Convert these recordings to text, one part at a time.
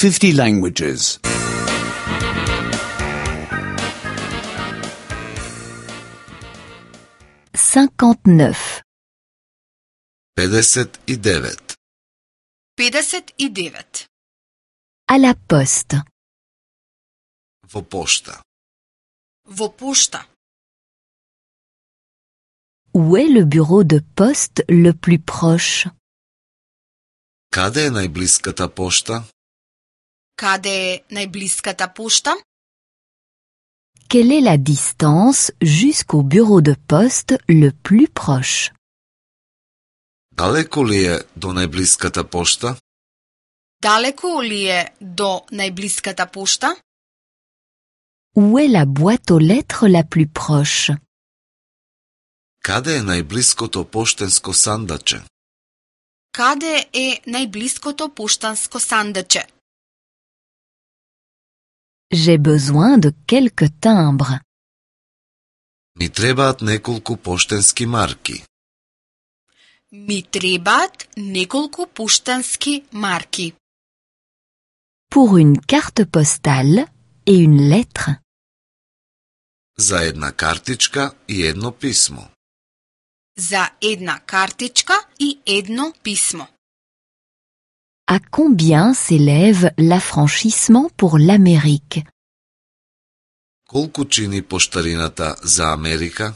50 languages. 59. 59. 59. À la poste. Во пошта. Во пошта. Où est le bureau de poste le plus proche? Каде е најблиската пошта? Каде е најблиската пошта? Quelle est la distance jusqu'au bureau de poste le plus proche? Далеко ли е до најблиската пошта? Далеко ли е до најблиската пошта? Où est la boîte aux lettres la plus proche? Каде е најблиското поштенско сандаче? Каде е најблиското поштанско сандаче? J'ai besoin de quelques timbres. Ми требаат неколку поштенски марки. Ми требаат неколку поштански марки. Pour une carte postale et une lettre. За една картичка и едно писмо. За една картичка и едно писмо. À combien s'élève l'affranchissement pour l'Amérique? Колку чини поштарината за Америка?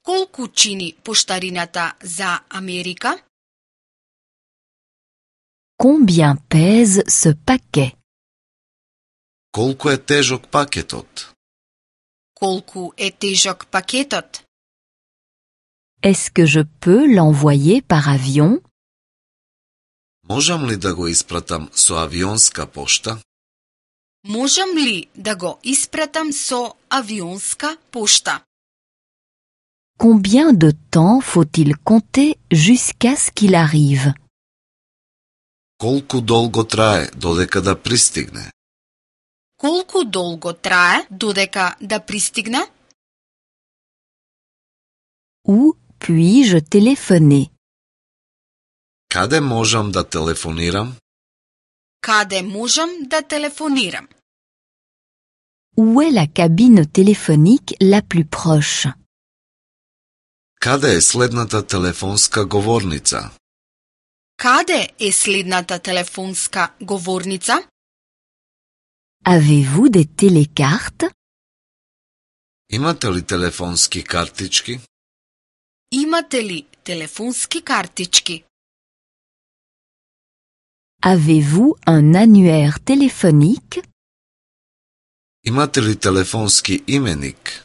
Колку чини поштарината за Америка? Combien pèse ce paquet? Колку е тежок пакетот? Колку е тежок пакетот? Est-ce que je peux l'envoyer par avion? Можам ли да го испратам со авионска пошта? Можам ли да го испратам со авионска пошта? Combien de temps faut-il compter jusqu'à ce qu'il arrive? Колку долго трае додека да пристигне? Колку долго трае додека да пристигне? Où puis-je téléphoner? Каде можам да телефонирам? Каде можам да телефонирам? Où est la cabine téléphonique la plus proche? Каде е следната телефонска говорница? Каде е следната телефонска говорница? Avez-vous des télécartes? Имате ли телефонски картички? Имате ли телефонски картички? Avez-vous un annuaire téléphonique? Имате ли телефонски именик?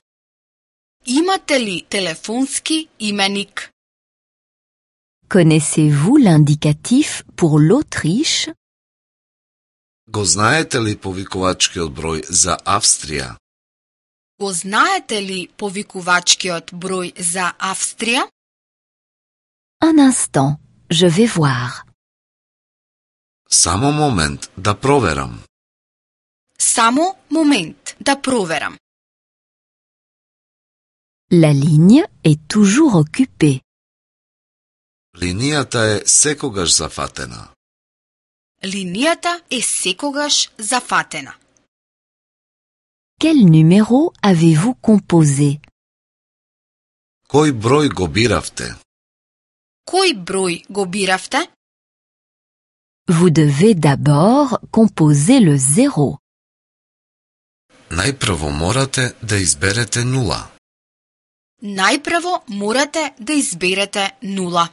Имате ли телефонски именик? Connaissez-vous l'indicatif pour l'Autriche? Го знаете ли повикувачкиот број за Австрија? Го знаете ли повикувачкиот број за Австрија? Un instant, je vais voir. Само момент да проверам. Само момент да проверам. La ligne est toujours occupée. Линијата е секогаш зафатена. Линијата е секогаш зафатена. Quel numéro avez-vous composé? Кој број го биравте? Кој број го биравте? Vous devez d'abord composer le 0. Најпрво морате да изберете нула. Најпрво морате да изберете нула.